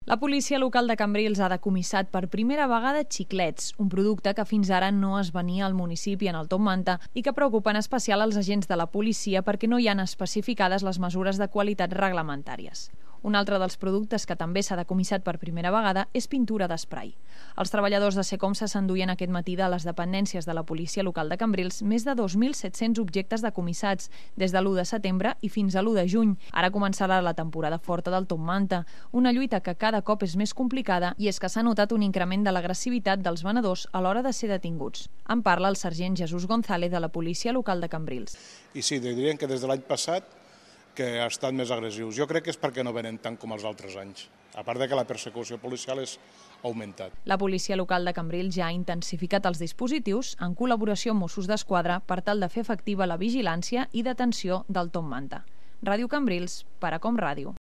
La policia local de Cambrils ha decomissat per primera vegada xiclets, un producte que fins ara no es venia al municipi en el Top Manta i que preocupa en especial els agents de la policia perquè no hi han especificades les mesures de qualitat reglamentàries. Un altre dels productes que també s'ha decomissat per primera vegada és pintura d'esprai. Els treballadors de Secomsa s'enduien aquest matí de les dependències de la policia local de Cambrils més de 2.700 objectes decomissats des de l'1 de setembre i fins a l'1 de juny. Ara començarà la temporada forta del Top Manta, una lluita que cada cop és més complicada i és que s'ha notat un increment de l'agressivitat dels venedors a l'hora de ser detinguts. En parla el sergent Jesús González de la policia local de Cambrils. I sí, dirien que des de l'any passat que ha estat més agressius. Jo crec que és perquè no venen tant com els altres anys, a part de que la persecució policial és augmentat. La policia local de Cambrils ja ha intensificat els dispositius en col·laboració amb Mossos d'Esquadra per tal de fer efectiva la vigilància i detenció del Top Manta. Ràdio Cambrils, per a Com Ràdio.